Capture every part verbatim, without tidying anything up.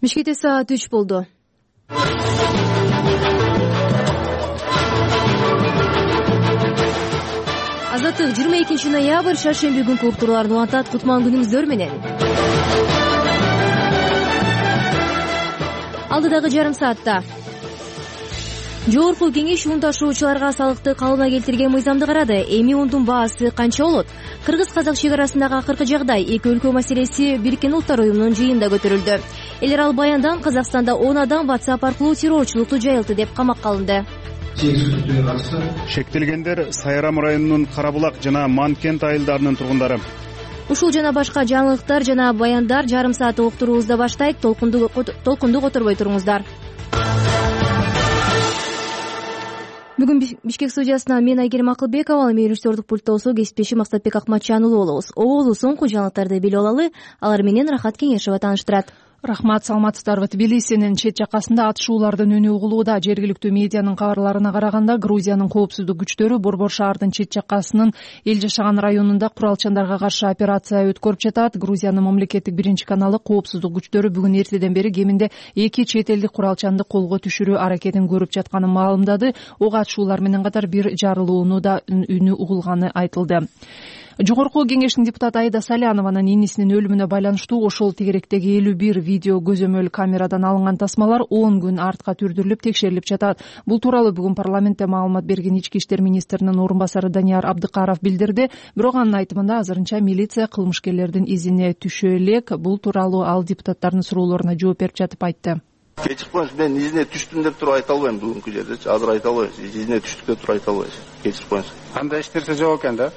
Бишкекте саат үч болду. Азаттык жыйырма экинчи ноябрь шаршемби күнкү уктурууларды улантат. Кутман күнүңүздөр менен. Алдыдагы жарым саатта Жогорку кеңеш ун ташуучуларга салыкты калыбына келтирген мыйзамды карады. Эми ундун баасы канча болот? Кыргыз-казак чек арасындагы акыркы жагдай эки өлкө маселеси Бириккен Улуттар уюмунун жыйынында көтөрүлдү. Эл аралык баяндан Казакстанда он адам WhatsApp аркылуу террорчулукту жайылтты деп камакка алынды. Шектелгендер Сайрам районунун Карабулак жана Манкент айылдарынын тургундары. Ушул жана башка жаңылыктар жана баяндар жарым саатты уктуруубузда баштайт. Толкунду толкунду которбой туруңуздар. Бүгүн Бишкек студиясынан мен Айгерим Акылбекова, ал режиссердук пультта болсо кесиптешим Максатбек Акматжанұлы болобуз. Оболу соңку жаңылыктарды билип алалы, алар менен Рахат Кеңешова тааныштырат. Рахмат, саламатсыздарбы. Тбилисинин чет жакасында атышуулардын үнү угулууда. Жергиликтүү медианын кабарларына караганда, Грузиянын коопсуздук күчтөрү Борбор шаардын чет жакасынын эл жашаган районунда куралчандарга каршы операция өткөрүп жатат. Грузиянын мамлекеттик биринчи каналы коопсуздук күчтөрү бүгүн эртеден бери кеминде эки чет элдик куралчанды колго түшүрүү аракетин көрүп жатканын маалымдады. Ок атышуулар менен катар бир жарылуунун да үнү угулганы айтылды. Жогорку кеңештин депутаты Аида Салянованын инисинин өлүмүнө байланыштуу ошол тегеректеги элүү бир видео көзөмөл камерадан алынган тасмалар он күн артка түрдүрүлүп текшерилип жатат. Бул тууралуу бүгүн парламентте маалымат берген ички иштер министринин орун басары Данияр Абдыкаров билдирди. Бирок анын айтымында азырынча милиция кылмышкерлердин изине түшө элек. Бул тууралуу ал депутаттардын суроолоруна жооп берип жатып айтты. Кечип коюңуз, мен изине түштүм деп туруп айта албайм бүгүнкү жердечи. Азыр айта албайм. Изине түштүк деп туруп айта албайм. Кечип коюңуз. Кандай эч нерсе жок экен да?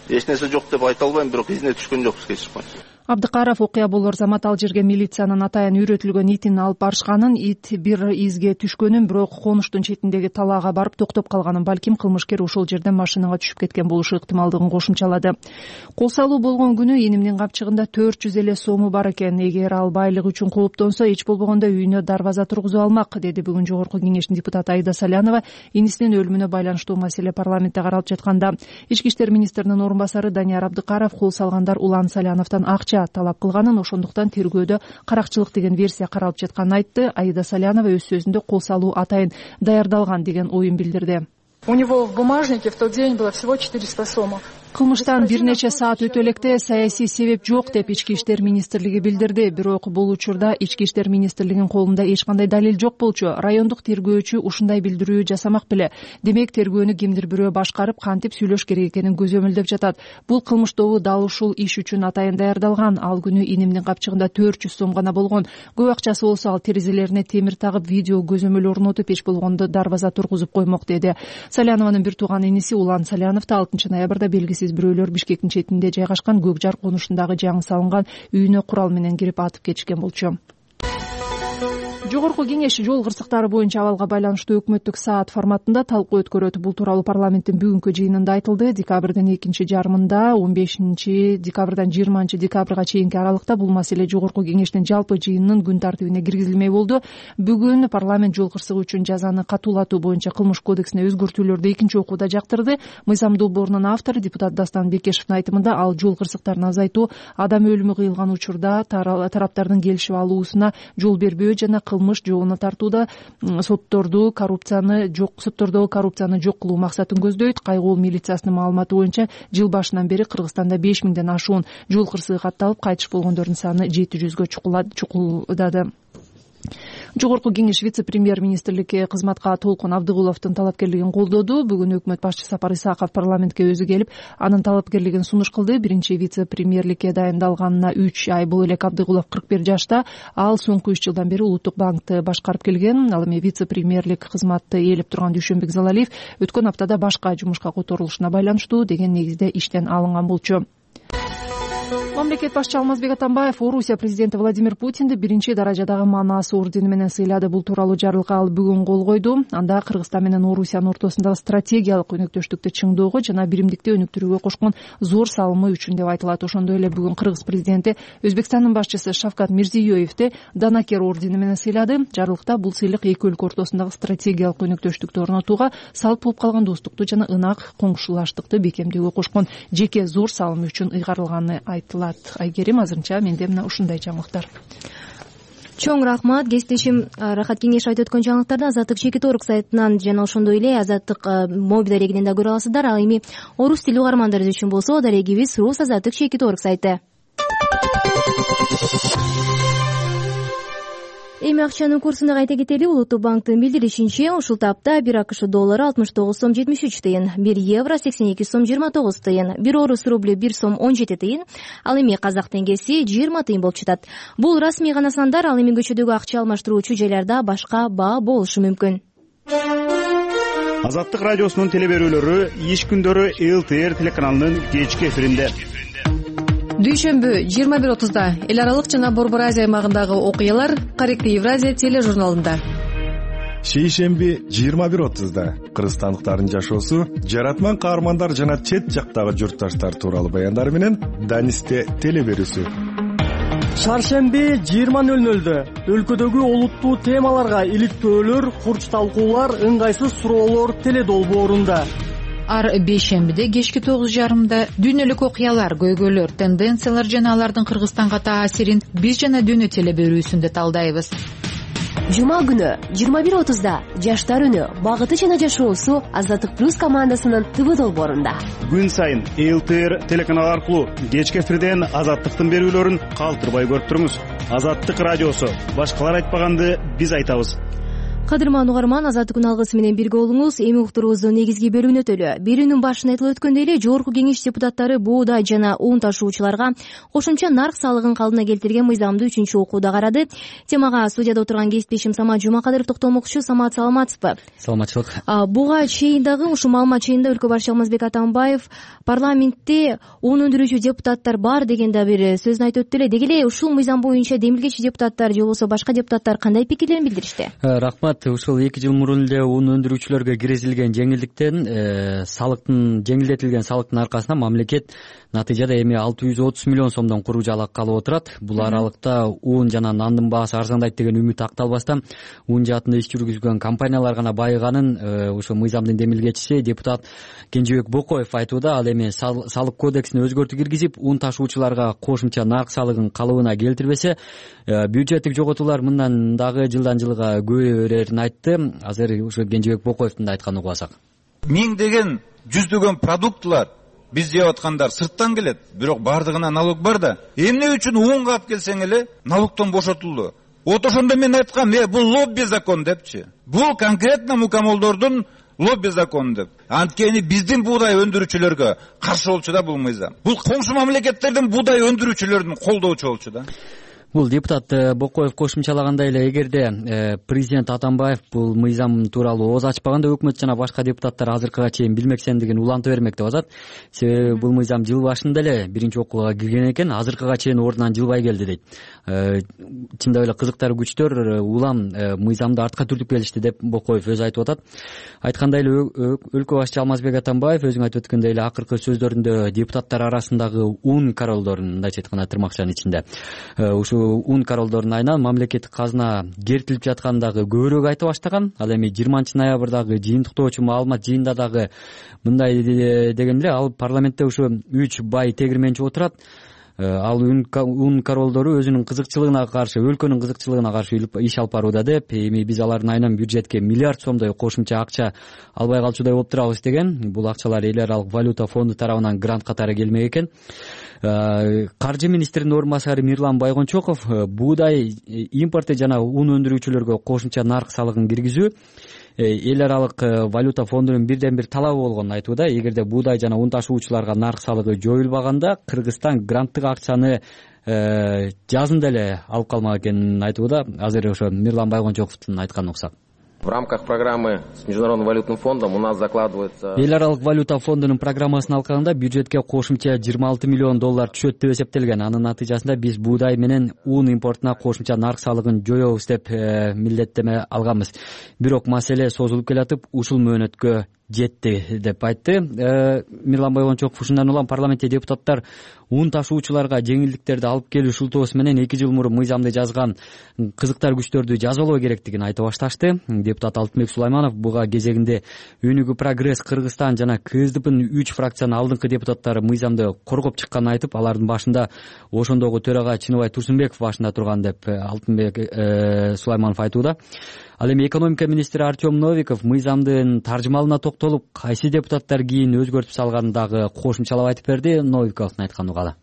Эч нерсе жок деп айта албайм, бирок изине түшкөн жокпуз, кечип коюңуз. Абдыкаров окуя болор замат ал жерге милициянын атайын үйрөтүлгөн итин алып барышканын, ит бир изге түшкөнүн, бирок конуштун четиндеги талаага барып токтоп калганын, балким кылмышкер ошол жерден машинага түшүп кеткен болушу ыктымалдыгын кошумчалады. Кол салуу болгон күнү инимдин капчыгында төрт жүз эле сому бар экен. Эгер ал байлык үчүн кооптонсо, эч болбогондо үйүнө дарбаза тургузуп алмак, деди бүгүн Жогорку кеңештин депутаты Аида Салянова. Инисинин өлүмүнө байланыштуу маселе парламентте каралып жатканда, ички иштер министринин орун басары Данияр Абдыкаров кол салгандар Улан Саляновдон акча талап кылганын, ошондуктан тергөөдө каракчылык деген версия каралып жатканын айтты. Аида Салянова өз сөзүндө кол салуу атайын даярдалган деген оюн билдирди. У него в бумажнике в тот день было всего четыреста сомов. Кылмыштан бир нече саат өтө электе саясий себеп жок деп ички иштер министрлиги билдирди. Бирок бул учурда ички иштер министрлигинин колунда эч кандай далил жок болчу. Райондук тергөөчү ушундай билдирүү жасамак беле. Демек тергөөнү кимдир бирөө башкарып, кантип сүйлөш керек экенин көзөмөлдөп жатат. Бул кылмыш тобу дал ушул иш үчүн атайын даярдалган. Ал күнү инимдин капчыгында төрт жүз сом гана болгон. Көп акчасы болсо ал терезелерине темир тагып, видео көзөмөл орнотуп, эч болгондо дарбаза тургузуп коймок, деди. Салянованын бир тууган иниси Улан Салянов да алтынчы ноябрда белгисиз бирөөлөр Бишкектин четинде жайгашкан Көк Жар конушундагы жаңы салынган үйүнө курал менен кирип атып кетишкен болчу. Жогорку кеңеш жол кырсыктары боюнча абалга байланыштуу өкмөттүк саат форматында талкуу өткөрөт. Бул тууралуу парламенттин бүгүнкү жыйынында айтылды. Декабрдын экинчи жарымында он бешинчи декабрдан жыйырманчы декабрга чейинки аралыкта бул маселе Жогорку кеңештин жалпы жыйынынын күн тартибине киргизилмей болду. Бүгүн парламент жол кырсыгы үчүн жазаны катуулатуу боюнча кылмыш кодексине өзгөртүүлөрдү экинчи окууда жактырды. Мыйзам долбоорунун автору депутат Дастан Бекешевдин айтымында, ал жол кырсыктарын азайтуу, адам өлүмү кыйылган учурда тараптардын келишип алуусуна жол бербөө жана кылмыш жоогуна тартууда сотторду коррупцияны жок соттордогу коррупцияны жок кылуу максатын көздөйт. Кайгоол милициясынын маалыматы боюнча жыл башынан бери Кыргызстанда беш миңден ашуун жол кырсыгы катталып, кайтыш болгондордун саны жети жүзгө чукулдады. Жогорку кеңеш вице-премьер-министрликке кызматка Толкун Абдыгуловдун талапкерлигин колдоду. Бүгүн өкмөт башчы Сапар Исаков парламентке өзү келип, анын талапкерлигин сунуш кылды. Биринчи вице-премьерликке дайындалганына үч ай боло элек Абдыгулов кырк бир жашта. Ал соңку үч жылдан бери Улуттук банкты башкарып келген. Ал эми вице-премьерлик кызматты ээлеп турган Дүйшөнбек Залалиев өткөн аптада башка жумушка которулушуна байланыштуу деген негизде иштен алынган болчу. Мамлекет башчы Алмазбек Атамбаев Орусия президенти Владимир Путинди биринчи даражадагы Манас ордени менен сыйлады. Бул тууралуу жарлыкка ал бүгүн кол койду. Анда Кыргызстан менен Орусиянын ортосундагы стратегиялык өнөктөштүктү чыңдоого жана биримдикти өнүктүрүүгө кошкон зор салымы үчүн деп айтылат. Ошондой эле бүгүн Кыргыз президенти Өзбекстандын башчысы Шавкат Мирзиёевди Данакер ордени менен сыйлады. Жарлыкта бул сыйлык эки өлкө ортосундагы стратегиялык өнөктөштүктү орнотууга, салт болуп калган достукту жана ынак коңшулаштыкты бекемдөөгө кошкон жеке зор салымы үчүн ыйгарылганы айтылат. Айгерим, азырынча менде мына ушундай жаңылыктар. чоң рахмат. Кесиптешим Рахат Кеңеш айтып өткөн жаңылыктарды Азаттык Чекит Орг сайтынан жана ошондой эле Азаттык мобил дарегинен да көрө аласыздар. Ал эми орус тили угармандарыбыз үчүн болсо дарегибиз рус Азаттык Чекит Орг сайты. Эми акчанын курсуна кайта кетели. Улуттук банктын билдиришинче, ушул тапта бир АКШ доллары алтымыш тогуз сом жетимиш үч тыйын, бир евро сексен эки сом жыйырма тогуз тыйын, бир орус рублю бир сом он жети тыйын, ал эми казак теңгеси жыйырма тыйын болуп жатат. Бул расмий гана сандар, ал эми көчөдөгү акча алмаштыруучу жайларда башка баа болушу мүмкүн. Азаттык радиосунун телеберүүлөрү иш күндөрү эл тэ эр телеканалынын кечки эфиринде. Дүйшөмбү жыйырма бир отузда эл аралык жана Борбор Азия аймагындагы окуялар Каректи Евразия тележурналында. Шейшемби жыйырма бир отузда кыргызстандыктардын жашоосу, жаратман каармандар жана чет жактагы журтташтар тууралуу баяндар менен Данисте телеберүүсү. Шаршемби жыйырма нөл нөлдө өлкөдөгү олуттуу темаларга иликтөөлөр, курч талкуулар, ыңгайсыз суроолор теледолбоорунда. Ар бейшембиде кечки тогуз жарымда дүйнөлүк окуялар, көйгөйлөр, тенденциялар жана алардын Кыргызстанга таасирин биз жана дүйнө телеберүүсүндө талдайбыз. Жума күнү жыйырма бир отузда жаштар үнү, багыты жана жашоосу Азаттык плюс командасынын ТВ долбоорунда. Күн сайын эл тэ эр телеканалы аркылуу кечки эфирден Азаттыктын берүүлөрүн калтырбай көрүп туруңуз. Азаттык радиосу, башкалар айтпаганды биз айтабыз. Кадырман угарман, Азаттыктын алгысы менен бирге болуңуз. Эми уктуруубуздун негизги бөлүгүнө өтөлү. Берүүнүн башында айтылып өткөндөй эле, Жогорку Кеңеш депутаттары буудай жана ун ташуучуларга кошумча нарк салыгын калыбына келтирген мыйзамды үчүнчү окууда карады. Темага студияда отурган кесиптешим Самат Жумакадыров токтолмокчу. Самат, саламатсызбы? Саламатчылык. Буга чейин дагы ушул маалымат чейинде өлкө башчы Алмазбек Атамбаев парламентте ун өндүрүүчү депутаттар бар деген да бир сөзүн айтып өттү эле. Деги эле ушул мыйзам боюнча демилгечи депутаттар же болбосо башка депутаттар кандай пикирлерин билдиришти? Рахмат. Ушул эки жыл мурун эле ун өндүрүүчүлөргө киргизилген жеңилдиктен, салыктын жеңилдетилген салыктын аркасында мамлекет натыйжада эми алты жүз отуз миллион сомдон куру жалак алып отурат. Бул аралыкта ун жана нандын баасы арзандайт деген үмүт акталбастан ун жаатында иш жүргүзгөн компаниялар гана байыганын ошо мыйзамдын демилгечиси депутат Кенжебек Бокоев айтууда. Ал эми салык кодексине өзгөртүү киргизип, ун ташуучуларга кошумча нарк салыгын калыбына келтирбесе, бюджеттик жоготуулар мындан дагы жылдан жылга көбөйө берерин айтты. Азыр ошо Кенжебек Бокоевдун да айтканын угуп алсак. Миңдеген, жүздөгөн продуктлар биз жеп аткандар сырттан келет, бирок бардыгына налог бар да. Эмне үчүн унга алып келсең эле налогтон бошотулду? Вот ошондо мен айткам, э, бул лобби закон депчи. Бул конкретно мукамолдордун лобби закон деп. Анткени биздин буудай өндүрүүчүлөргө каршы болчу да бул мыйзам. Бул коңшу мамлекеттердин буудай өндүрүүчүлөрүн колдоочу болчу да. Бул депутат Бокоев кошумчалагандай эле, эгерде президент Атамбаев бул мыйзам тууралуу ооз ачпаганда, өкмөт жана башка депутаттар азыркыга чейин билмексендигин улантып бермек деп атат. Себеби бул мыйзам жыл башында эле биринчи окууга кирген экен, азыркыга чейин ордунан жылбай келди дейт. Чындап эле кызыктар күчтөр улам мыйзамды артка түртүп келишти деп Бокоев өзү айтып атат. Айткандай эле, өлкө башчы Алмазбек Атамбаев өзүң айтып өткөндөй эле акыркы сөздөрүндө депутаттар арасындагы ун королдорун, мындайча айтканда тырмакчанын ичинде, ушул ун королдордун айынан мамлекеттик казына кертилип жатканын дагы көбүрөөк айта баштаган. Ал эми жыйырманчы ноябрдагы жыйынтыктоочу маалымат жыйында дагы мындай деген эле, ал парламентте ушу үч бай тегирменчи отурат. Ал ун королдору өзүнүн кызыкчылыгына каршы, өлкөнүн кызыкчылыгына каршы иш алып барууда деп, эми биз алардын айынан бюджетке миллиард сомдой кошумча акча албай калчудай болуп турабыз деген. Бул акчалар эл аралык валюта фонду тарабынан грант катары келмек экен. Каржы министринин орун басары Мирлан Байгончоков буудай импорты жана ун өндүрүүчүлөргө кошумча нарк салыгын киргизүү эл аралык валюта фондунун бирден бир талабы болгонун айтууда. Эгерде буудай жана ун ташуучуларга нарк салыгы жоюлбаганда Кыргызстан гранттык акчаны жазында эле алып калмак экенин айтууда. Азыр ошо Мирлан Байгончоковдун айтканын уксак. В рамках программы с Международным валютным фондом у нас закладывается... Эл аралык валюта фондунун программасын алганда бюджетке кошумча жыйырма алты миллион доллар түшөт деп эсептелген. Анын натыйжасында биз буудай менен ун импортуна кошумча нарк салыгын жоебуз деп милдеттеме алганбыз. Бирок маселе созулуп келатып, ушул мөөнөткө жетти деп айтты. Мирлан Бойгончоков ушундан улам парламентте депутаттар ун ташуучуларга жеңилдиктерди алып келүү шылтоосу менен эки жыл мурун мыйзамды жазган кызыктар күчтөрдү жазалоо керектигин айтып башташты. Депутат Алтынбек Сулайманов буга кезегинде Өнүгүү Прогресс, Кыргызстан жана КСДПнын үч фракциянын алдыңкы депутаттары мыйзамды коргоп чыкканын айтып, алардын башында ошондогу төрага Чыныбай Турсунбеков башында турган деп Алтынбек Сулайманов айтууда. Ал эми экономика министри Артем Новиков мыйзамдын таржымалына токтолуп, кайсы депутаттар кийин өзгөртүп салганын дагы кошумчалап айтып берди. Новиковдун айтканы угалы.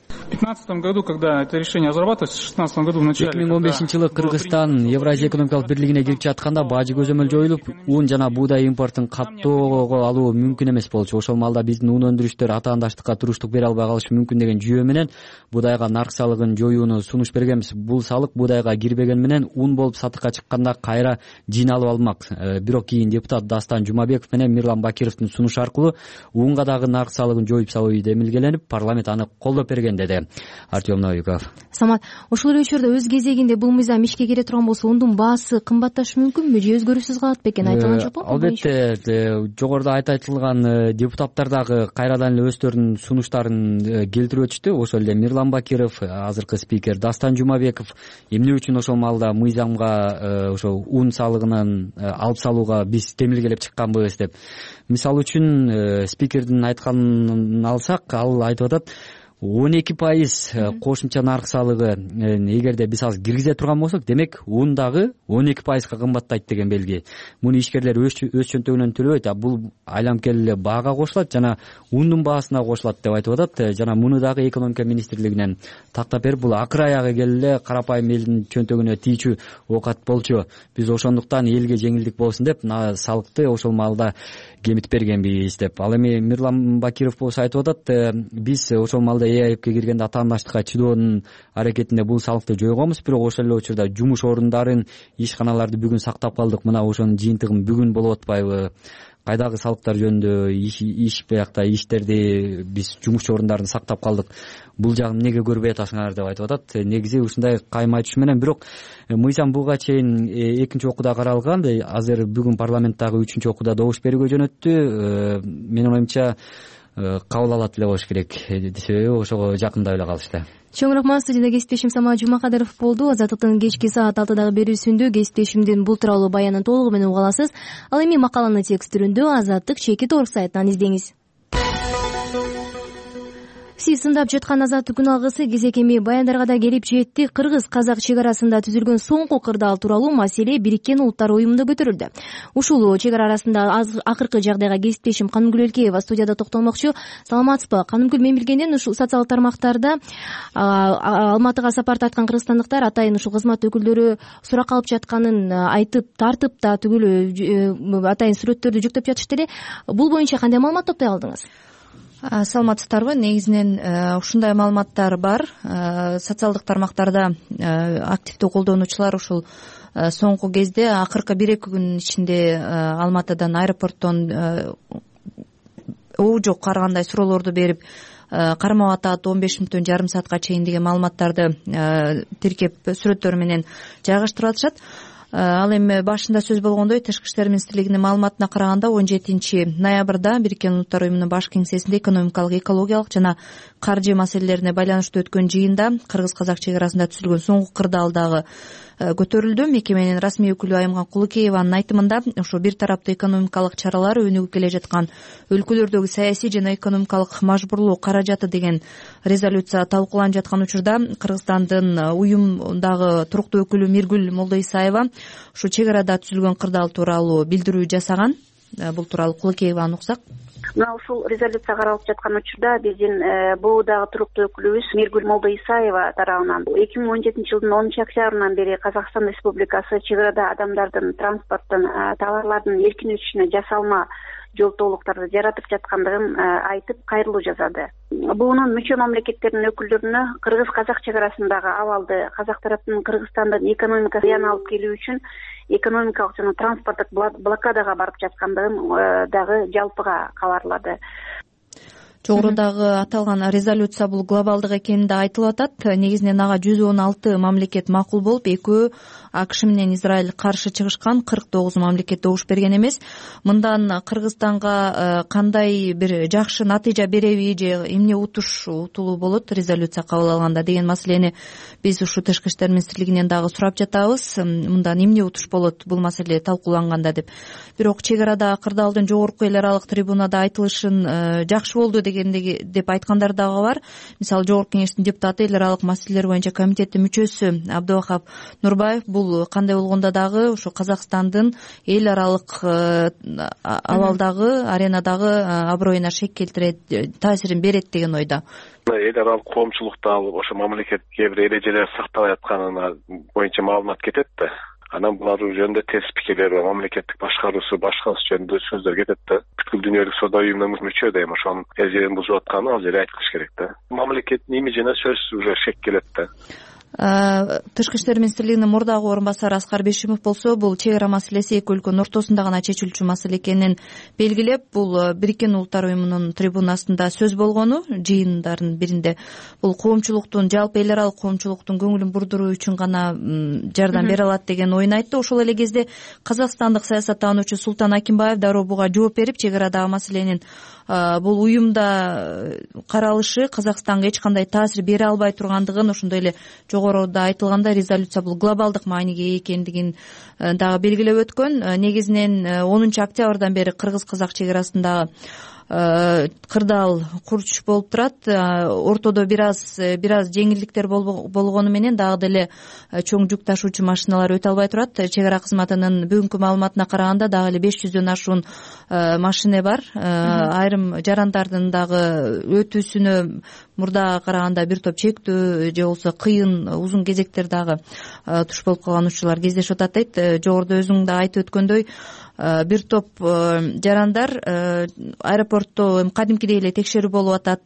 В две тысячи пятнадцатом году, когда это решение разрабатывалось, в две тысячи шестнадцатом году в начале... эки миң он бешинчи жылы Кыргызстан Евразия экономикалык бирлигине кирип жатканда бажы көзөмөл жоюлуп, ун жана буудай импортун каттоого алуу мүмкүн эмес болчу. Ошол маалда биздин ун өндүрүштөр атаандаштыкка туруштук бере албай калышы мүмкүн деген жүйө менен буудайга нарк салыгын жоюуну сунуш бергенбиз. Бул салык буудайга кирбеген менен ун болуп сатыкка чыкканда кайра жыйналып алынмак. Бирок кийин депутат Дастан Жумабеков менен Мирлан Бакировдун сунушу аркылуу унга дагы нарк салыгын жоюп салуу демилгеленип, парламент аны колдоп берген деди Артем Новиков. Самат, ошол эле учурда өз кезегинде бул мыйзам ишке кире турган болсо ундун баасы кымбатташы мүмкүнбү же өзгөрүүсүз калат бекен, айтылган жокпу? Албетте, жогоруда айтылган депутаттар дагы кайрадан эле өздөрүнүн сунуштарын келтирип өтүштү. Ошол эле Мирлан Бакиров, азыркы спикер Дастан Жумабеков эмне үчүн ошол маалда мыйзамга ошо ун салыгынан алып салууга биз демилгелеп чыкканбыз деп. Мисалы үчүн спикердин айтканын алсак, ал айтып атат, он эки пайыз кошумча нарк салыгы эгерде биз азыр киргизе турган болсок, демек ун дагы он эки пайызга кымбаттайт деген белги. Муну ишкерлер өз чөнтөгүнөн төлөбөйт, а бул айламкел эле баага кошулат жана ундун баасына кошулат деп айтып атат. Жана муну дагы экономика министрлигинен тактап берип, бул акыр аягы келе карапайым элдин чөнтөгүнө тийчү оокат болчу. Биз ошондуктан элге жеңилдик болсун деп салыкты ошол маалда кемитип бергенбиз деп. Ал эми Мирлан Бакиров болсо айтып атат, биз ошол маалда ЭАЭПке киргенде атаандаштыкка чыдоонун аракетинде бул салыкты жойгонбуз, бирок ошол эле учурда жумуш орундарын, ишканаларды бүгүн сактап калдык. Мына ошонун жыйынтыгын бүгүн болуп атпайбы? Кайдагы салыктар жөнүндө иш биякта иштерди биз жумуш орундарын сактап калдык. Бул жагын эмнеге көрбөй атасыңар деп айтып атат. Негизи ушундай кайым айтышы менен, бирок мыйзам буга чейин экинчи окууда каралган. Азыр бүгүн парламенттагы үчүнчү окууда добуш берүүгө жөнөттү. Менин оюмча кабыл алат эле болуш керек. Себеби ошого жакындап эле калышты. Чоңураак студияда кесиптешим Самат Жумакадыров болду. Азаттыктын кечки саат алтыдагы берүүсүндө кесиптешимдин бул тууралуу баянын толугу менен уга аласыз. Ал эми макаланы текст түрүндө Азаттык чекит орг сайтынан издеңиз. Сиз сындап жаткан Азаттык күн алгысы кезек эми баяндарга да келип жетти. Кыргыз-казак чек арасында түзүлгөн соңку кырдаал тууралуу маселе Бириккен Улуттар уюмунда көтөрүлдү. Ушул чек ара арасында акыркы жагдайга кесиптешим Канымгүл Элкеева студияда токтолмокчу. Саламатсызбы? Канымгүл, мен билгенден ушул социалдык тармактарда Алматыга сапар тарткан кыргызстандыктар атайын ушул кызмат өкүлдөрү сурак алып жатканын айтып, тартып да түгүл атайын сүрөттөрдү жүктөп жатышты эле. Бул боюнча кандай маалымат топтой алдыңыз? Саламатсыздарбы? Негизинен ушундай маалыматтар бар. Социалдык тармактарда активдүү колдонуучулар ушул соңку кезде акыркы бир эки күнүн ичинде Алматыдан аэропорттон уу жок ар кандай суроолорду берип, кармоо атат он беш мүнөттөн жарым саатка чейин деген маалыматтарды тиркеп сүрөттөр менен жайгаштырып атышат. Ал эми башында сөз болгондой, Тышкы иштер министрлигинин маалыматына караганда он жетинчи ноябрда Бириккен Улуттар уюмунун баш кеңсесинде экономикалык, экологиялык жана каржы маселелерине байланыштуу өткөн жыйында кыргыз-казак чек арасында түзүлгөн соңку кырдаал дагы көтөрүлдү. Мекеменин расмий өкүлү Айымган Кулукееванын айтымында, ошо бир тараптуу экономикалык чаралар өнүгүп келе жаткан өлкөлөрдөгү саясий жана экономикалык мажбурлоо каражаты деген резолюция талкууланып жаткан учурда Кыргызстандын уюмдагы туруктуу өкүлү Миргүл Молдоисаева ушу чек арада түзүлгөн кырдаал тууралуу билдирүү жасаган. Бул тууралуу Кулукееваны уксак. Мына ушул резолюция каралып жаткан учурда биздин буудагы туруктуу өкүлүбүз Миргүл Молдоисаева тарабынан эки миң он жетинчи жылдын онунчу октябрынан бери Казакстан Республикасы чек арада адамдардын, транспорттун, товарлардын эркин өтүшүнө жасалма жолтоолуктарды жаратып жаткандыгын айтып, кайрылуу жасады. Буунун мүчө мамлекеттердин өкүлдөрүнө кыргыз-казак чек арасындагы абалды казак тараптын Кыргызстандын экономикасына зыян алып келүү үчүн экономикалык жана транспорттук блокадага барып жаткандыгын дагы жалпыга кабарлады. жогорудагы аталган резолюция бул глобалдык экени да айтылып атат. Негизинен ага жүз он алты мамлекет макул болуп, экөө АКШ менен Израиль каршы чыгышкан, кырк тогуз мамлекет добуш берген эмес. Мындан Кыргызстанга кандай бир жакшы натыйжа береби же эмне утуш утулуу болот резолюция кабыл алганда деген маселени биз ушу Тышкы иштер министрлигинен дагы сурап жатабыз. Мындан эмне утуш болот бул маселе талкууланганда деп. Бирок чек арада кырдаалдын жогорку эл аралык трибунада айтылышын жакшы болду дегендеги деп айткандар дагы бар. Мисалы Жогорку кеңештин депутаты, эл аралык маселелер боюнча комитеттин мүчөсү Абдывахап Нурбаев бул кандай болгондо дагы ушу Казакстандын эл аралык абалдагы, аренадагы аброюна шек келтирет, таасирин берет деген ойдо. Эл аралык коомчулукта ошо мамлекет кээ бир эрежелер сакталбай атканына боюнча маалымат кетет да. Анан булар жөнүндө терс пикирлер бар, мамлекеттик башкаруусу башкасы жөнүндө сөздөр кетет да. Бүткүл дүйнөлүк соода уюмуна мүчө да эми ошонун эрежелерин бузуп атканын ал жерде айтылыш керек да. Мамлекеттин имиджине сөзсүз уже шек келет да. Тышкы иштер министрлигинин мурдагы орун басары Аскар Бешимов болсо, бул чек ара маселеси эки өлкөнүн ортосунда гана чечилчү маселе экенин белгилеп, бул Бириккен Улуттар уюмунун трибунасында сөз болгону, жыйындардын биринде бул коомчулуктун, жалпы эл аралык коомчулуктун көңүлүн бурдуруу үчүн гана жардам бере алат деген оюн айтты. Ошол эле кезде казакстандык саясаттануучу Султан Акимбаев дароо буга жооп берип, чек арадагы маселенин бул уюмда каралышы Казакстанга эч кандай таасир бере албай тургандыгын, ошондой эле жогоруда айтылгандай резолюция бул глобалдык мааниге ээ экендигин дагы белгилеп өткөн. Негизинен онунчу октябрдан бери кыргыз-казак чек арасындагы кырдаал курч болуп турат. Ортодо бир аз бир аз жеңилдиктер болгону менен дагы деле чоң жүк ташуучу машиналар өтө албай турат. Чек ара кызматынын бүгүнкү маалыматына караганда дагы эле беш жүздөн ашуун машина бар. Айрым жарандардын дагы өтүүсүнө мурдага караганда бир топ чектүү же болбосо кыйын узун кезектер дагы туш болуп калган учурлар кездешип атат дейт. Жогоруда өзүң да айтып өткөндөй, бир топ жарандар аэропортто кадимкидей эле текшерүү болуп атат.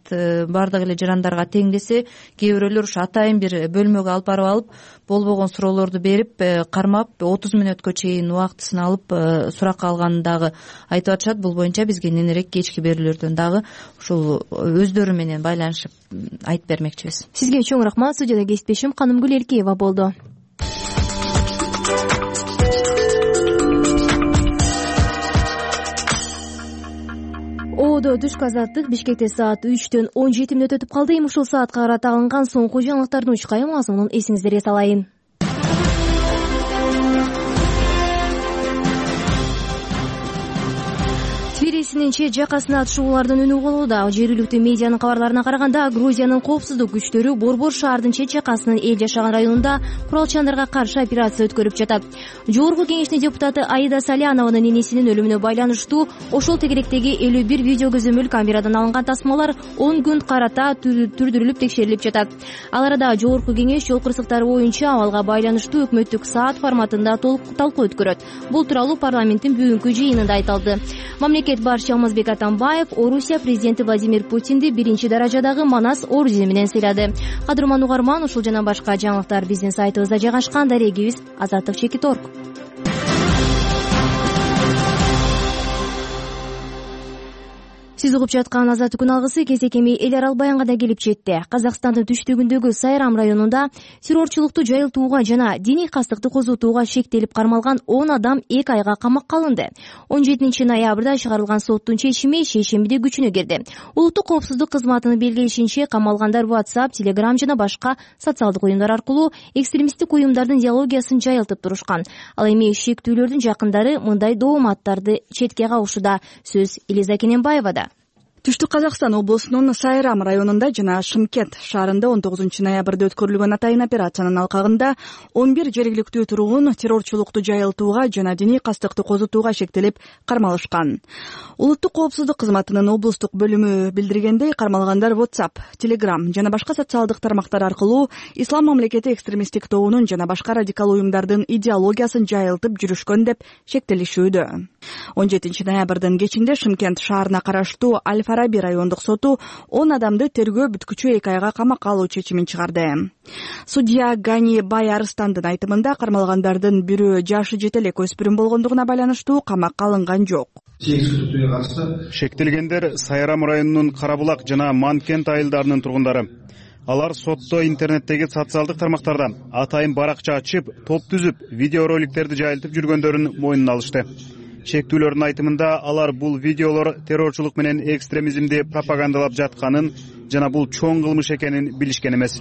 Баардык эле жарандарга тең десе, кээ бирөөлөр ушу атайын бир бөлмөгө алып барып алып, болбогон суроолорду берип, кармап отуз мүнөткө чейин убактысын алып суракка алганын дагы айтып атышат. Бул боюнча бизге ненерээк кечки берүүлөрдөн дагы ушул өздөрү менен байланышып айтып бермекчибиз. Сизге чоң рахмат. Студияда кесиптешим Канымгүл Эркеева болду. Оодо түшкү азаттык Бишкекте саат үчтөн он жети мүнөт өтүп калды. Эми ушул саатка карата алынган соңку жаңылыктардын учкайы мазмунун эсиңиздерге салайын. Тбилисинин чет жакасына атышуулардын үнү угулууда. Жергиликтүү медианын кабарларына караганда, Грузиянын коопсуздук күчтөрү Борбор шаардын чет жакасынын эл жашаган районунда куралчандарга каршы операция өткөрүп жатат. Жогорку кеңештин депутаты Аида Салянованын энесинин өлүмүнө байланыштуу ошол тегеректеги элүү бир видео көзөмөл камерадан алынган тасмалар он күн карата түрдүрүлүп текшерилип жатат. Ал арада Жогорку кеңеш жол кырсыктары боюнча абалга байланыштуу өкмөттүк саат форматында талкуу өткөрөт. Бул тууралуу парламенттин бүгүнкү жыйынында айтылды. Мамлекет башчы Алмазбек Атамбаев Орусия президенти Владимир Путинди биринчи даражадагы Манас ордени менен сыйлады. Кадырман угарман, ушул жана башка жаңылыктар биздин сайтыбызда жайгашкан. Дарегибиз азаттык чекит точка орг. Сиз угуп жаткан Азаттык күн алгысы кезекеми эл аралык баянга да келип жетти. Казакстандын түштүгүндөгү Сайрам районунда террорчулукту жайылтууга жана диний кастыкты козутууга шектелип кармалган он адам эки айга камакка алынды. он жетинчи ноябрда чыгарылган соттун чечими шейшембиде күчүнө кирди. Улуттук коопсуздук кызматынын белгилешинче, камалгандар WhatsApp, Telegram жана башка социалдык уюмдар аркылуу экстремисттик уюмдардын идеологиясын жайылтып турушкан. Ал эми шектүүлөрдүн жакындары мындай дооматтарды четке кагуушуда. Сөз Элиза Кененбаевада. Түштүк Казакстан облусунун Сайрам районунда жана Шымкент шаарында он тогузунчу ноябрда өткөрүлгөн атайын операциянын алкагында он бир жергиликтүү тургун террорчулукту жайылтууга жана диний кастыкты козутууга шектелип кармалышкан. Улуттук коопсуздук кызматынын облустук бөлүмү билдиргендей, кармалгандар WhatsApp, Telegram жана башка социалдык тармактар аркылуу Ислам мамлекети экстремисттик тобунун жана башка радикал уюмдардын идеологиясын жайылтып жүрүшкөн деп шектелишүүдө. он жетинчи ноябрдын кечинде Шымкент шаарына караштуу Аль-Фараби райондук соту он адамды тергөө бүткүчү эки айга камакка алуу чечимин чыгарды. Судья Гани Бай Арыстандын айтымында, кармалгандардын бирөө жашы жете элек өспүрүм болгондугуна байланыштуу камакка алынган жок. сегиз күдүктүүгө катышты. Шектелгендер Сайрам районунун Кара Булак жана Манкент айылдарынын тургундары. Алар сотто интернеттеги социалдык тармактарда атайын баракча ачып, топ түзүп, видеороликтерди жайылтып жүргөндөрүн мойнуна алышты. Чектүүлөрдүн айтымында алар бул видеолор террорчулук менен экстремизмди пропагандалап жатканын жана бул чоң кылмыш экенин билишкен эмес,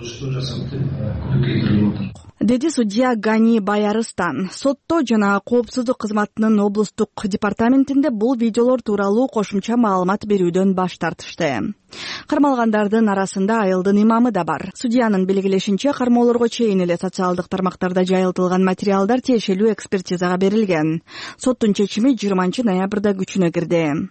деди судья Гани Баярыстан. Сотто жана коопсуздук кызматынын облустук департаментинде бул видеолор тууралуу кошумча маалымат берүүдөн баш тартышты. Кармалгандардын арасында айылдын имамы да бар. Судьянын белгилешинче, кармоолорго чейин эле социалдык тармактарда жайылтылган материалдар тиешелүү экспертизага берилген. Соттун чечими жыйырманчы ноябрда күчүнө кирди.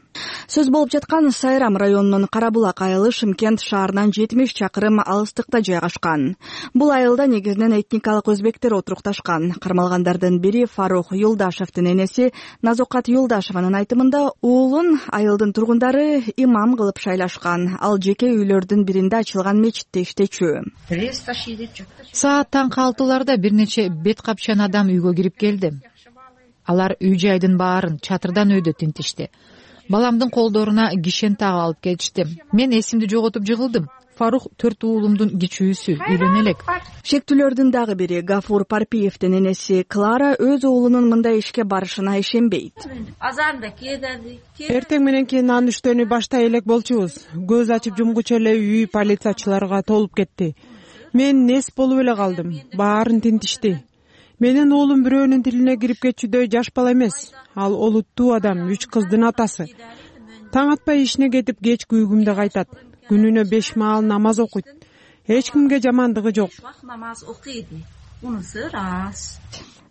Сөз болуп жаткан Сайрам районунун Кара Булак айылы Шымкент шаарынан жетимиш чакырым алыстыкта жайгашкан. Бул айылда негизинен этникалык өзбектер отурукташкан. Кармалгандардын бири Фарух Юлдашевдин энеси Назокат Юлдашеванын айтымында уулун айылдын тургундары имам кылып шайлашкан. Ал жеке үйлөрдүн биринде ачылган мечитте иштечү. Саат таңкы алтыларда бир нече бет капчан адам үйгө кирип келди. Алар үй жайдын баарын чатырдан өйдө тинтишти. Баламдын колдоруна кишен тагып алып келишти. Мен эсимди жоготуп жыгылдым. Фарух төрт уулумдун кичүүсү, үйлөнө элек. Шектүүлөрдүн дагы бири Гафур Парпиевдин энеси Клара өз уулунун мындай ишке барышына ишенбейт. Эртең менен кийин анын иштөөнү баштай элек болчубуз. Көз ачып жумгучу эле үй полициячыларга толуп кетти. Мен нес болуп эле калдым. Баарын тинтишти. Менин уулум бирөөнүн тилине кирип кетчүдөй жаш бала эмес. Ал олуттуу адам, үч кыздын атасы. Таң атпай ишине кетип, кечки үйгүмдө кайтат. Күнүнө беш маал намаз окуйт. Эч кимге жамандыгы жок. Намаз окуйт. Унусу рас.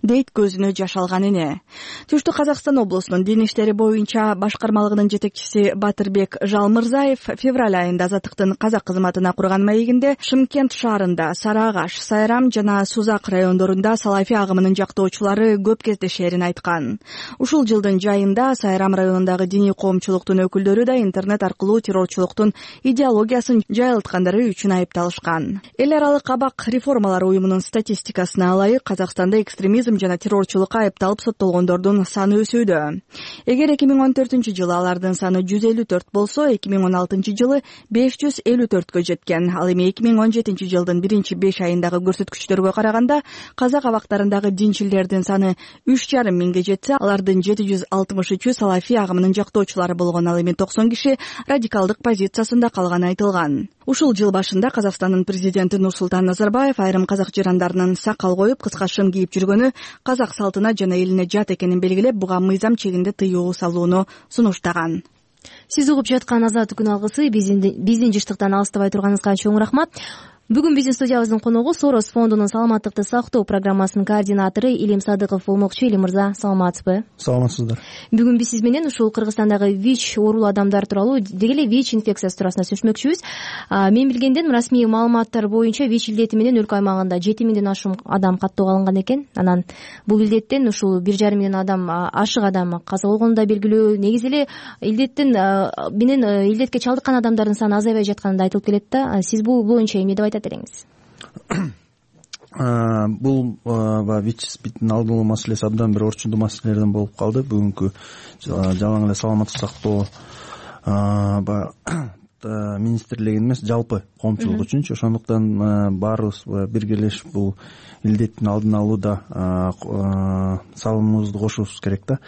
Дейт көзүнө жаш алган эне. Түштүк Казакстан облусунун дин иштери боюнча башкармалыгынын жетекчиси Батырбек Жалмырзаев февраль айында Азаттыктын казак кызматына курган маегинде Шымкент шаарында, Сары Агаш, Сайрам жана Сузак райондорунда салафи агымынын жактоочулары көп кездешерин айткан. Ушул жылдын жайында Сайрам районундагы диний коомчулуктун өкүлдөрү да интернет аркылуу террорчулуктун идеологиясын жайылткандары үчүн айыпталышкан. Эл аралык кабак реформалар уюмунун статистикасына ылайык Казакстанда экстремизм жана террорчулукка айыпталып соттолгондордун саны өсүүдө. Эгер эки миң он төртүнчү жылы алардын саны жүз элүү төрт болсо, эки миң он алтынчы жылы беш жүз элүү төрткө жеткен. Ал эми эки миң он жетинчи жылдын биринчи беш айындагы көрсөткүчтөргө караганда казак абактарындагы динчилдердин саны үч жарым миңге жетсе, алардын жети жүз алтымыш үчү салафи агымынын жактоочулары болгон. Ал эми токсон киши радикалдык позициясында калганы айтылган. Ушул жыл башында Казакстандын президенти Нурсултан Назарбаев айрым казак жарандарынын сакал коюп, кыска шым кийип жүргөнү казак салтына жана элине жат экенин белгилеп, буга мыйзам чегинде тыюу салууну сунуштаган. Сиз угуп жаткан Азаттык күн алгысы, биздин жыштыктан алыстабай турганыңызга чоң рахмат. Бүгүн биздин студиябыздын коногу Сорос фондунун саламаттыкты сактоо программасынын координатору Илим Садыков болмокчу. Илим мырза, саламатсызбы? Саламатсыздар. Бүгүн биз сиз менен ушул Кыргызстандагы ВИЧ оорулуу адамдар тууралуу, деги эле ВИЧ инфекциясы туурасында сүйлөшмөкчүбүз. Мен билгенден расмий маалыматтар боюнча ВИЧ илдети менен өлкө аймагында жети миңден ашуун адам каттоого алынган экен. Анан бул илдеттен ушул бир жарым миңден адам, ашык адам каза болгону да белгилүү. Негизи эле илдеттен менен илдетке чалдыккан адамдардын саны азайбай жатканы да айтылып келет да. Сиз бул боюнча эмне деп айтат элеңиз? Бул баягы ВИЧ спидтин алдын алуу маселеси абдан бир орчундуу маселелерден болуп калды. Бүгүнкү жалаң эле саламаттык сактоо баягы министрлигин эмес, жалпы коомчулук үчүнчү. Ошондуктан баарыбыз биргелешип бул илдеттин алдын алууда салымыбызды кошушубуз керек да.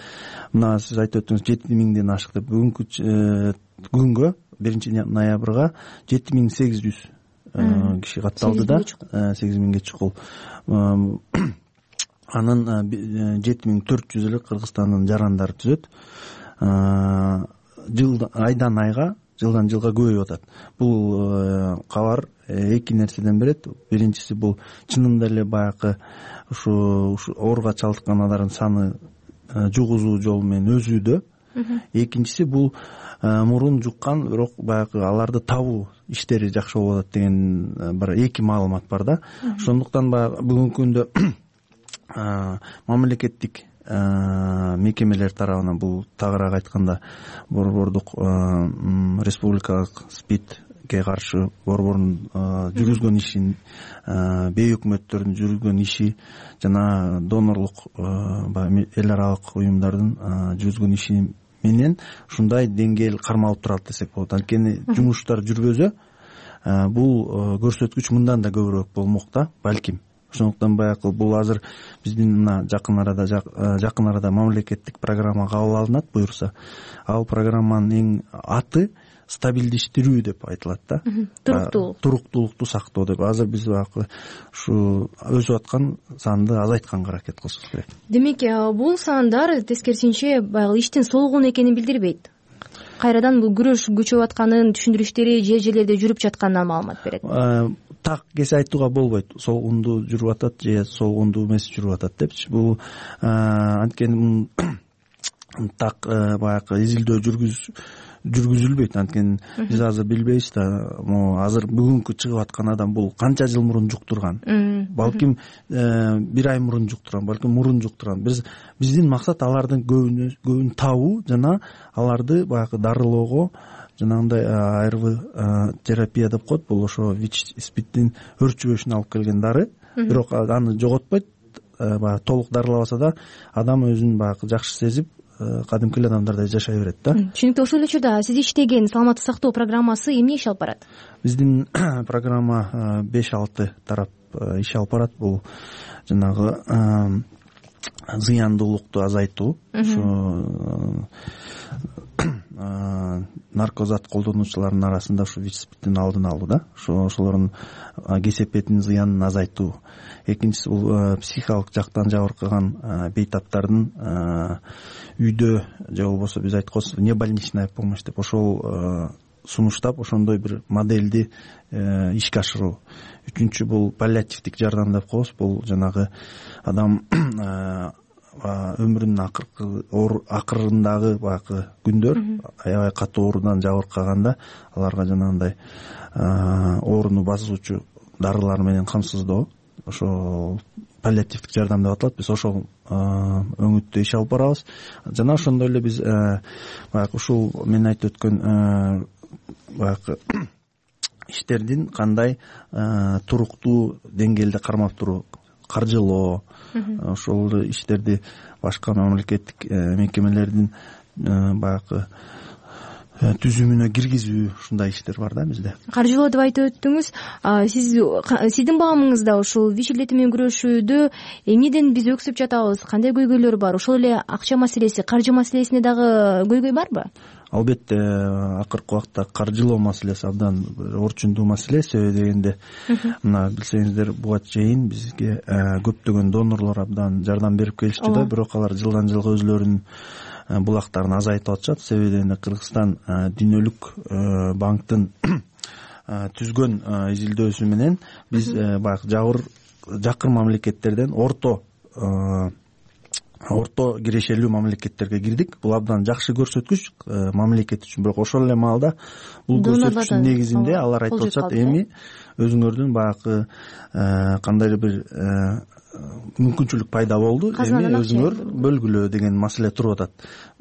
Мына сиз айтып өттүңүз, жети миңден ашык деп. Бүгүнкү күнгө биринчи ноябрга жети миң сегиз жүз киши катталды да, сегиз миңге чукул. Анын жети миң төрт жүз эле Кыргызстандын жарандары түзөт. Жылдан айдан айга, жылдан жылга көбөйүп атат. Бул кабар эки нерседен берет. Биринчиси бул чынында эле баягы ушу ооруга чалдыккан адамдардын саны жугузуу жолу менен өсүүдө. Экинчиси бул мурун жуккан, бирок баягы аларды табуу иштери жакшы болуп атат деген бир эки маалымат бар да. Ошондуктан баягы бүгүнкү күндө мамлекеттик мекемелер тарабынан бул тагыраак айтканда борбордук республикалык СПИДке каршы борбордун жүргүзгөн ишин, бейөкмөттөрдүн жүргүзгөн иши жана донорлук эл аралык уюмдардын жүргүзгөн иши менен ушундай деңгээл кармалып турат десек болот. Анткени жумуштар жүрбөсө бул көрсөткүч мындан да көбүрөөк болмок да балким. Ошондуктан баягы бул азыр биздин мына жакын арада жакын арада мамлекеттик программа кабыл алынат буюрса, ал программанын эң аты стабилдештирүү деп айтылат да. Туруктуулук. Туруктуулукту сактоо деп. Азыр биз баягы ушу өсүп аткан санды азайтканга аракет кылышыбыз керек. Демек, бул сандар тескерисинче баягы иштин солгун экенин билдирбейт. Кайрадан бул күрөш күчөп атканын түшүндүрүштери жер жерлерде жүрүп жатканынан маалымат берет. Так кесе айтууга болбойт. Солгунду жүрүп атат же солгунду эмес жүрүп атат депчи. Бул анткени так баягы изилдөө жүргүз жүргүзүлбөйт. Анткени биз азыр билбейбиз да, могу азыр бүгүнкү чыгып аткан адам бул канча жыл мурун жуктурган. Балким бир ай мурун жуктурган, балким мурун жуктурган. Биз биздин максат алардын көбүн көбүн табуу жана аларды баягы дарылоого, жанагындай АРВ терапия деп коет. Бул ошо ВИЧ-спидтин өрчүбөшүнө алып келген дары. Бирок аны жоготпойт. Баягы толук дарылабаса да адам өзүн баягы жакшы сезип кадимки эле адамдардай жашай берет да. Түшүнүктүү. Ошол эле учурда сиз иштеген саламаттык сактоо программасы эмне иш алып барат? Биздин программа беш алты тарап иш алып барат. Бул жанагы зыяндуулукту азайтуу, ушу наркозат колдонуучулардын арасында ушу ВИЧ-спидтин алдын алуу да. Ошо ошолордун кесепетин, зыянын азайтуу. Экинчиси бул психикалык жактан жабыркаган бейтаптардын үйдө же болбосо биз айтканбыз небольничная помощь деп ошол сунуштап ошондой бир модельди ишке ашыруу. Үчүнчү бул паллиативдик жардам деп коебуз. Бул жанагы адам өмүрүнүн акыркы акырындагы баягы күндөр аябай катуу оорудан жабыркаганда аларга жанагындай ооруну басуучу дарылар менен камсыздоо, ошол паллиативдик жардам деп аталат. Биз ошол өңүттө иш алып барабыз. Жана ошондой эле биз баягы ушул мен айтып өткөн баягы иштердин кандай туруктуу деңгээлде кармап туруу, каржылоо, ошол иштерди башка мамлекеттик мекемелердин баягы түзүмүнө киргизүү, ушундай иштер бар да бизде. Каржылоо деп айтып өттүңүз. Сиз сиздин баамыңызда ушул ВИЧ илдети менен күрөшүүдө эмнеден биз өксүп жатабыз, кандай көйгөйлөр бар? Ошол эле акча маселеси, каржы маселесине дагы көйгөй барбы? Албетте, акыркы убакта каржылоо маселеси абдан орчундуу маселе. Себеби дегенде мына билсеңиздер, буга чейин бизге көптөгөн донорлор абдан жардам берип келишти да, бирок алар жылдан жылга өзүлөрүнүн булактарын азайтып атышат. Себеби дегенде Кыргызстан дүйнөлүк банктын түзгөн изилдөөсү менен биз баягы жабыр жакын мамлекеттерден орто орто кирешелүү мамлекеттерге кирдик. Бул абдан жакшы көрсөткүч мамлекет үчүн. Бирок ошол эле маалда бул көрсөткүчтүн негизинде алар айтып атышат, эми өзүңөрдүн баягы кандайдыр бир мүмкүнчүлүк пайда болду, эми өзүңөр бөлгүлө деген маселе туруп атат.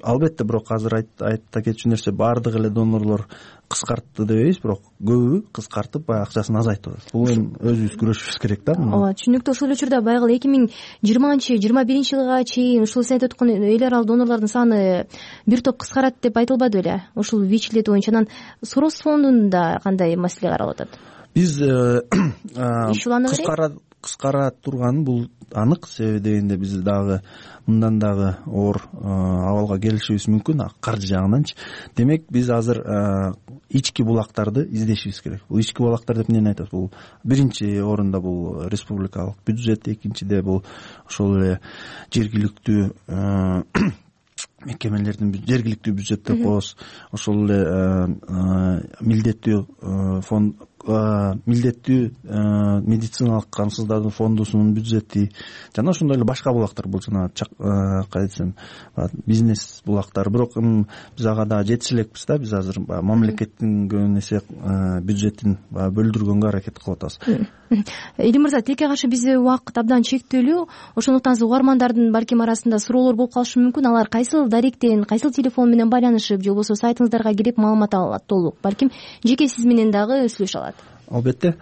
Албетте, бирок азыр айта кетчү нерсе, баардык эле донорлор кыскартты дебейбиз, бирок көбү кыскартып баягы акчасын азайтып атат. Бул эми өзүбүз күрөшүбүз керек да. Ооба, түшүнүктүү. Ошол учурда баягы эки миң жыйырманчы жыйырма биринчи жылга чейин ушул сиз айтып аткан эл аралык донорлордун саны бир топ кыскарат деп айтылбады беле? Ушул ВИЧ илдети боюнча. Анан Сорос фондунда кандай маселе каралып атат? Биз кыскара кыскара турганы бул анык. Себеби дегенде биз дагы мындан дагы оор абалга келишибиз мүмкүн, каржы жагынанчы. Демек, биз азыр ички булактарды издешибиз керек. Бул ички булактар деп эмнени айтат? Бул биринчи орунда бул республикалык бюджет, экинчиде бул ошол эле жергиликтүү мекемелердин жергиликтүү бюджет деп коебуз. Ошол эле милдеттүү фонд милдеттүү медициналык камсыздандыруу фондусунун бюджети жана ошондой эле башка булактар. Бул жана кайсы десем бизнес булактар. Бирок биз ага да жетише элекпиз да. Биз азыр мамлекеттин көбүн эсе бюджетин бөлдүргөнгө аракет кылып атабыз. Элим мырза, тилекке каршы бизде убакыт абдан чектелүү. Ошондуктан угармандардын балким арасында суроолор болуп калышы мүмкүн. Алар кайсыл даректен, кайсыл телефон менен байланышып, же болбосо сайтыңыздарга кирип маалымат ала алат толук. Балким жеке сиз менен дагы сүйлөшө алат. Албетте,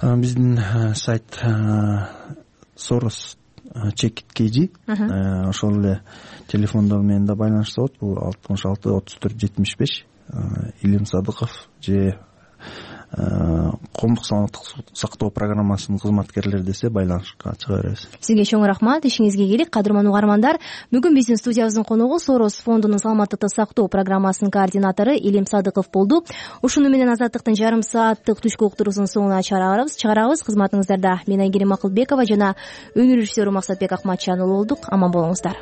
биздин сайт Soros чекит kg ошол эле телефондор менен да байланышса болот. Бул алтымыш алты отуз төрт жетимиш беш Илим Садыков же коомдук саламаттык сактоо программасынын кызматкерлери десе байланышка чыга беребиз. Сизге чоң рахмат, ишиңизге ийгилик. Кадырман угармандар, бүгүн биздин студиябыздын коногу Сорос фондунун саламаттыкты сактоо программасынын координатору Илим Садыков болду. Ушуну менен Азаттыктын жарым сааттык түшкү уктуруусунун соңуна чыгарабыз. Чыгарабыз. Кызматыңыздарда мен Айгерим Акылбекова жана өнөр режиссеру Максатбек Акматжан болдук. Аман болуңуздар.